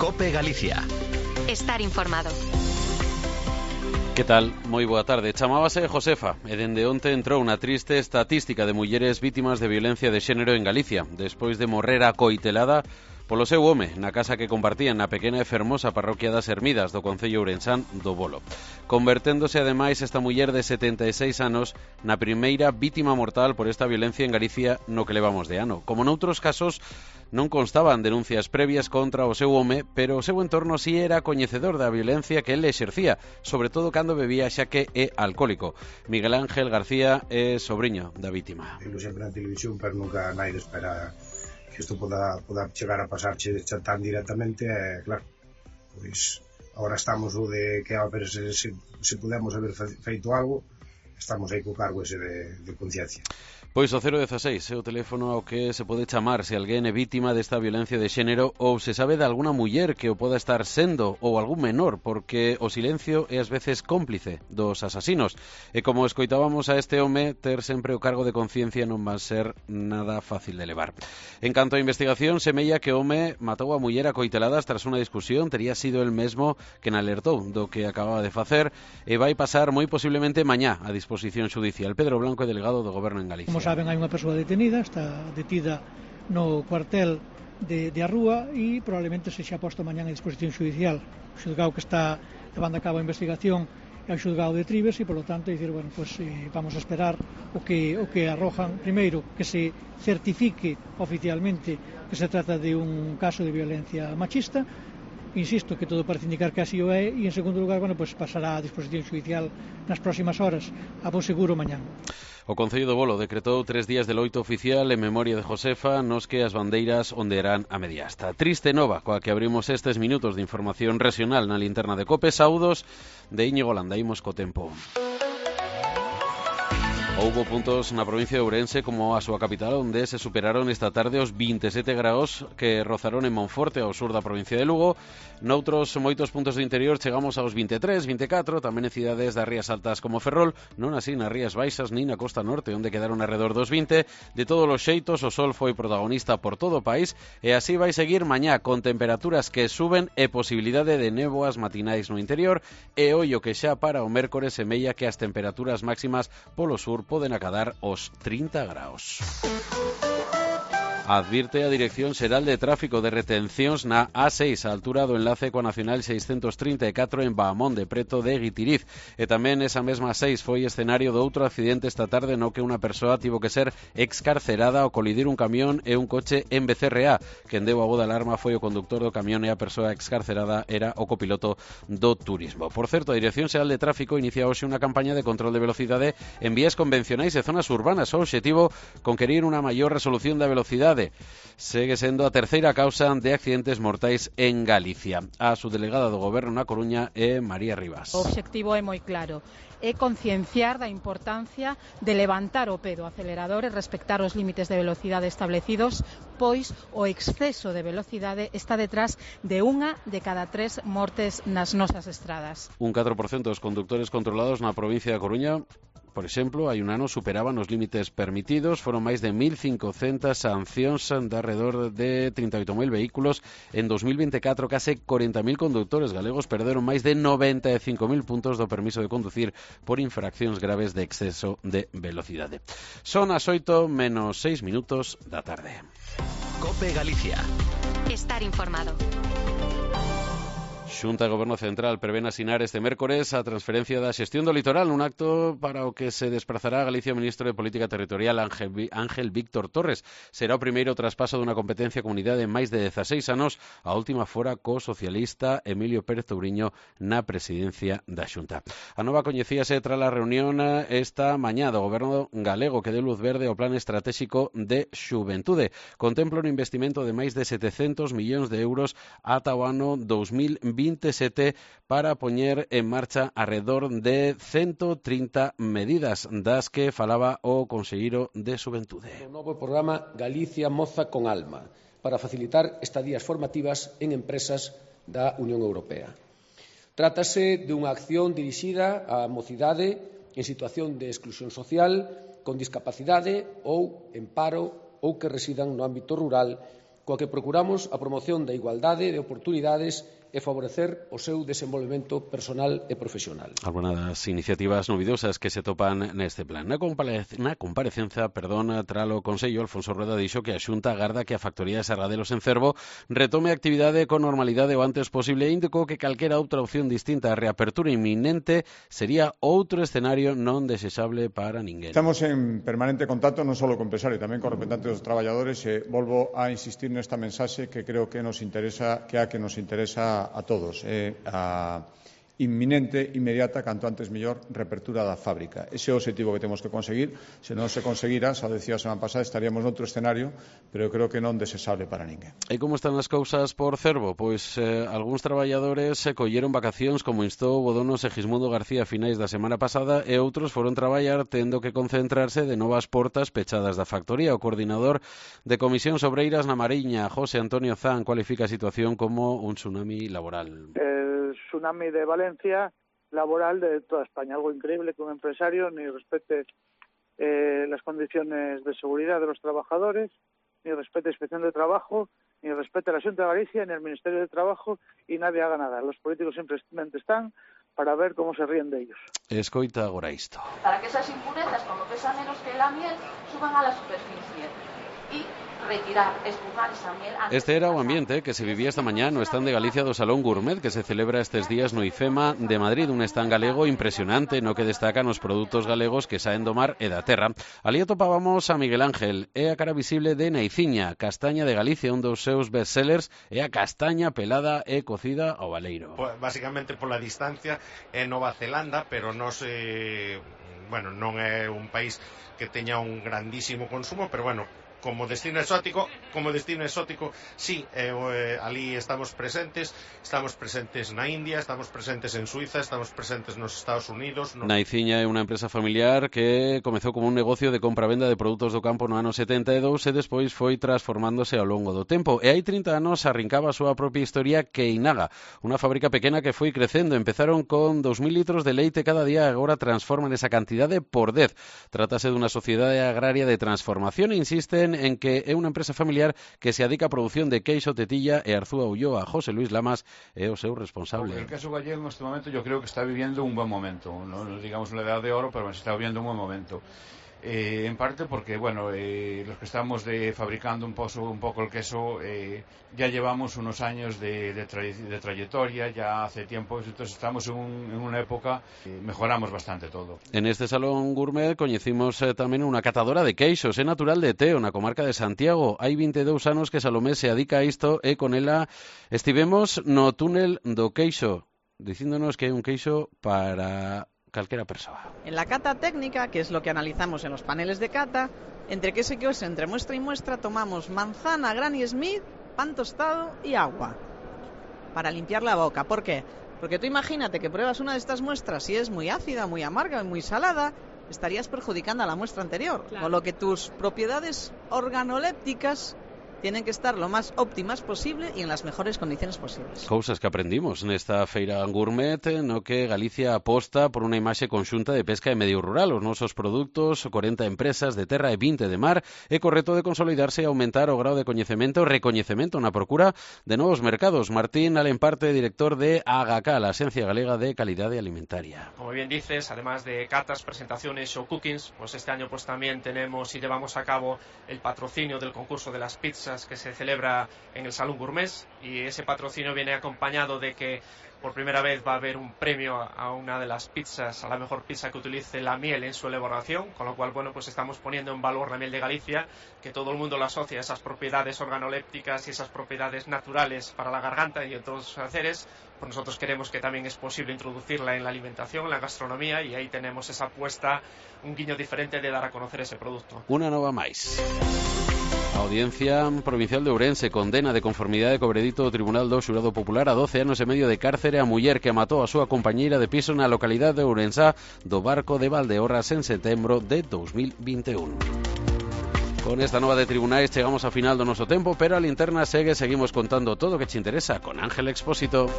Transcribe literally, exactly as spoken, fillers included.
COPE Galicia. Estar informado. Que tal? Moi boa tarde. Chamábase Josefa e dende onte entrou unha triste estatística de mulleres vítimas de violencia de xénero en Galicia, despois de morrer acoitelada polo seu home na casa que compartían na pequena e fermosa parroquia das Hermidas do concello ourensán do Bolo, converténdose ademais esta muller de setenta e seis anos na primeira vítima mortal por esta violencia en Galicia no que levamos de ano. Como noutros casos, non constaban denuncias previas contra o seu home, pero o seu entorno si era coñecedor da violencia que ele exercía, sobre todo cando bebía, xa que é alcohólico. Miguel Ángel García é sobriño da vítima. Eu sempre na televisión, pero nunca naide espera que isto poda, poda chegar a pasarche tan directamente, e claro, pois agora estamos o de que a ver se, se, se podemos haber feito algo, estamos aí co cargo ese de, de conciencia. Pois o cero dieciséis é o teléfono ao que se pode chamar se alguén é vítima desta violencia de xénero ou se sabe de alguna muller que o poda estar sendo ou algún menor, porque o silencio é ás veces cómplice dos asasinos. E como escoitábamos a este home, ter sempre o cargo de conciencia non va a ser nada fácil de levar. En canto a investigación, semella que o home matou a muller acoiteladas tras unha discusión, tería sido el mesmo que alertou do que acababa de facer e vai pasar moi posiblemente mañá a disposición xudicial. Pedro Blanco é delegado do Goberno en Galicia. Como saben, hai unha persoa detenida, está detida no cuartel de, de Arrúa e probablemente se xa posto mañán a disposición xudicial. O xulgado que está levando a cabo a investigación é o xulgado de Trives e, polo tanto, dicir, bueno, pues, eh, vamos a esperar o que, o que arrojan. Primeiro, que se certifique oficialmente que se trata de un caso de violencia machista. Insisto que todo parece indicar que así o é, e en segundo lugar, bueno, pues pasará a disposición xudicial nas próximas horas, a bo seguro mañán. O Concello do Bolo decretou tres días de loito oficial en memoria de Josefa nos que as bandeiras ondearán a media asta. Triste nova coa que abrimos estes minutos de información regional na linterna de COPE. Saúdos de Íñigo Landa. Imos co tempo. Houbo puntos na provincia de Ourense como a súa capital onde se superaron esta tarde os vinte e sete graus que rozaron en Monforte ao sur da provincia de Lugo. Noutros moitos puntos do interior chegamos aos vinte e tres, vinte e catro, tamén en cidades das rías altas como Ferrol, non así nas rías baixas nin na costa norte onde quedaron alrededor dos vinte. De todos os xeitos o sol foi protagonista por todo o país e así vai seguir mañá con temperaturas que suben e posibilidade de néboas matinais no interior e ollo que xa para o mércores semella que as temperaturas máximas polo sur poden acadar os trinta graus. Advirte a Dirección Xeral de Tráfico de retencións na A seis, a altura do enlace coa Nacional seiscentos trinta e catro en Bahamonde, preto de Guitiriz. E tamén esa mesma seis foi escenario de outro accidente esta tarde no que unha persoa tivo que ser excarcerada ao colidir un camión e un coche en B C R A. Quen deu a voz de alarma foi o conductor do camión e a persoa excarcerada era o copiloto do turismo. Por certo, a Dirección Xeral de Tráfico inicia hoxe unha campaña de control de velocidade en vías convencionais e zonas urbanas. O obxectivo conquerir unha maior resolución da velocidade. Segue sendo a terceira causa de accidentes mortais en Galicia. A subdelegada do Goberno na Coruña é María Rivas. O obxectivo é moi claro, é concienciar da importancia de levantar o pé do acelerador e respectar os límites de velocidade establecidos, pois o exceso de velocidade está detrás de unha de cada tres mortes nas nosas estradas. Un catro por cento dos condutores controlados na provincia da Coruña, por exemplo, hai un ano superaban os límites permitidos, foron máis de mil cincocentas sancións de alrededor de trinta e oito mil vehículos. En dos mil vinte e catro, case corenta mil condutores galegos perderon máis de noventa e cinco mil puntos do permiso de conducir por infraccións graves de exceso de velocidade. Son as oito menos seis minutos da tarde. COPE Galicia. Estar informado. Xunta e Goberno Central prevén asinar este mércores a transferencia da xestión do litoral, un acto para o que se desplazará a Galicia o ministro de Política Territorial Ángel, Ángel Víctor Torres. Será o primeiro traspaso dunha competencia a comunidade en máis de dezaseis anos, a última fora co socialista Emilio Pérez Touriño na presidencia da Xunta. A nova coñecíase tras a reunión esta mañá do Goberno galego que deu luz verde ao Plan Estratégico de Xuventude. Contempla un investimento de máis de setecentos millóns de euros ata o ano dos mil vinte e sete para poñer en marcha alrededor de ciento trinta medidas das que falaba o conselleiro de Xuventude. O novo programa Galicia Moza con Alma para facilitar estadías formativas en empresas da Unión Europea. Trátase de unha acción dirixida á mocidade en situación de exclusión social, con discapacidade ou en paro ou que residan no ámbito rural coa que procuramos a promoción da igualdade de oportunidades e favorecer o seu desenvolvemento personal e profesional. Algunas iniciativas novidosas que se topan neste plan. Na, comparec na comparecencia, perdón, tralo Consello, Alfonso Rueda dixo que a Xunta agarda que a factoría de Sargadelos en Cervo retome a actividade con normalidade o antes posible e indicou que calquera outra opción distinta á reapertura inminente sería outro escenario non desexable para ninguén. Estamos en permanente contacto non só co empresario, tamén con representantes dos traballadores e volvo a insistir nesta mensaxe que creo que nos interesa, que a que nos interesa a todos, é a inminente, inmediata, canto antes mellor, reapertura da fábrica. Ese é o objetivo que temos que conseguir. Se non se conseguira, xa decía a semana pasada, estaríamos noutro escenario, pero eu creo que non desexable para ninguén. E como están as cousas por Cervo? Pois eh, algúns traballadores se colleron vacacións, como instou o dono Segismundo García a finais da semana pasada, e outros foron traballar tendo que concentrarse de novas portas pechadas da factoría. O coordinador de Comisións Obreiras na Mariña, José Antonio Zan, cualifica a situación como un tsunami laboral. El tsunami de Valencia laboral de toda España. Algo increíble que un empresario ni respete eh, las condiciones de seguridad de los trabajadores, ni respete la inspección de trabajo, ni respete la Xunta de Galicia, ni el Ministerio de Trabajo, y nadie haga nada. Los políticos simplemente están para ver cómo se ríen de ellos. Escoita agora isto. Para que esas impurezas, como pesan menos que la miel, suban a la superficie y retirar, expurgar esa miel. Este era o ambiente que se vivía esta mañá no stand de Galicia do Salón Gourmet que se celebra estes días no IFEMA de Madrid, un stand galego impresionante no que destacan os produtos galegos que saen do mar e da terra. Alí atopábamos a Miguel Ángel, é a cara visible de Naiciña, castaña de Galicia, un dos seus bestsellers, é a castaña pelada e cocida ao baleiro. Pues, básicamente pola distancia é Nova Zelanda, pero non se, bueno, non é un país que teña un grandísimo consumo, pero bueno, como destino exótico, como destino exótico, sí, eh, eh, ali estamos presentes, estamos presentes na India, estamos presentes en Suiza, estamos presentes nos Estados Unidos. No... Naiciña é unha empresa familiar que comezou como un negocio de compra-venda de produtos do campo no ano setenta e dous e despois foi transformándose ao longo do tempo. E hai trinta anos arrincaba a súa propia historia Keinaga, unha fábrica pequena que foi crecendo. Empezaron con dos mil litros de leite cada día e agora transforman esa cantidade por dez. Trátase dunha sociedade agraria de transformación e insisten en que é unha empresa familiar que se dedica a produción de queixo, tetilla e Arzúa Ulloa. José Luis Lamas é o seu responsable. El queso gallego en este momento yo creo que está viviendo un buen momento, no digamos una edad de oro, pero se está viviendo un buen momento. Eh, en parte porque, bueno, eh, los que estamos de, fabricando un, pozo, un poco el queso, eh, ya llevamos unos años de, de, tra de trayectoria, ya hace tiempo, entonces estamos en, un, en una época que mejoramos bastante todo. En este Salón Gourmet coñecimos eh, tamén unha catadora de queixos, é natural de Teo, na comarca de Santiago. Hai vinte e dous anos que Salomé se adica a isto e con ela estivemos no túnel do queixo, dicíndonos que é un queixo para calquera persoa. En la cata técnica, que es lo que analizamos en los paneles de cata, entre queso y queso, entre muestra y muestra, tomamos manzana, Granny Smith, pan tostado y agua para limpiar la boca. ¿Por qué? Porque tú imagínate que pruebas una de estas muestras y es muy ácida, muy amarga, muy salada, estarías perjudicando a la muestra anterior. Claro. Con lo que tus propiedades organolépticas tienen que estar lo más óptimas posible y en las mejores condiciones posibles. Cousas que aprendimos nesta feira gourmet no que Galicia aposta por unha imaxe conxunta de pesca e medio rural. Os nosos produtos, corenta empresas de terra e vinte de mar, é correcto de consolidarse e aumentar o grau de coñecemento e recoñecemento na procura de novos mercados. Martín Alemparte, director de AGACA, la Agencia Galega de Calidade Alimentaria. Como bien dices, además de catas, presentaciones, show cookings, pues este año pues también tenemos y llevamos a cabo el patrocinio del concurso de las pizzas que se celebra en el Salón Gourmet, y ese patrocinio viene acompañado de que por primera vez va a haber un premio a una de las pizzas, a la mejor pizza que utilice la miel en su elaboración, con lo cual, bueno, pues estamos poniendo en valor la miel de Galicia, que todo el mundo la asocia a esas propiedades organolépticas y esas propiedades naturales para la garganta y otros placeres. Pues nosotros queremos que también es posible introducirla en la alimentación, en la gastronomía, y ahí tenemos esa apuesta, un guiño diferente de dar a conocer ese producto. Una nova máis. A Audiencia Provincial de Ourense condena de conformidade co veredicto do Tribunal do Xurado Popular a doce anos e medio de cárcere a muller que matou a súa compañeira de piso na localidade de Ourense do Barco de Valdeorras en setembro de dos mil vinte e un. Con esta nova de tribunais chegamos ao final do noso tempo, pero a linterna segue, seguimos contando todo o que te interesa con Ángel Expósito.